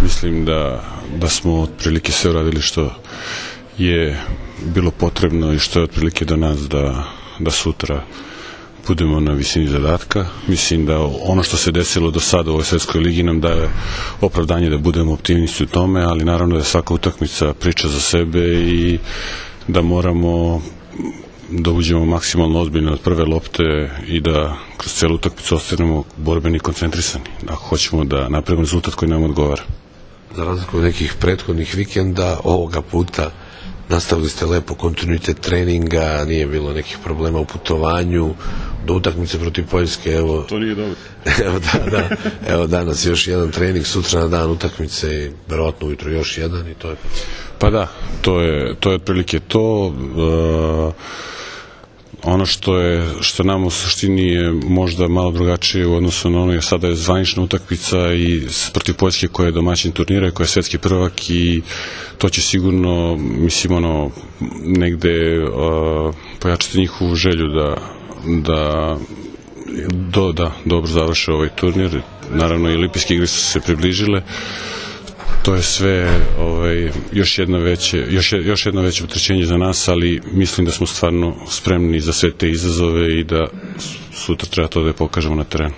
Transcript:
Mislim da smo otprilike sve uradili što je bilo potrebno i što je otprilike do nas da sutra budemo na visini zadatka. Mislim da ono što se desilo do sada u ovoj svetskoj ligi nam daje opravdanje da budemo optimisti u tome, ali naravno da je svaka utakmica priča za sebe i da moramo da uđemo maksimalno ozbiljno od prve lopte i da kroz celu utakmicu ostanemo borbeni i koncentrisani, ako hoćemo da napravimo rezultat koji nam odgovara. Za razliku od nekih prethodnih vikenda, ovoga puta nastavili ste lepo kontinuitet treninga, nije bilo nekih problema u putovanju, do utakmice protiv Poljske, evo... To nije dobro. Evo danas još jedan trening, sutra na dan utakmice i verovatno ujutro još jedan i to je... Pa da, to je otprilike to. Ono što nam u suštini je možda malo drugačije u odnosu na ono je sada je zvanična utakmica i protiv Poljske koja je domaćin turnira i koja je svetski prvak i to će sigurno, mislim, negde pojačati njihovu želju da dobro završe ovaj turnir. Naravno i olimpijske igre su se približile. To je sve još jedno veće opterećenje za nas, ali mislim da smo stvarno spremni za sve te izazove i da sutra treba to da pokažemo na terenu.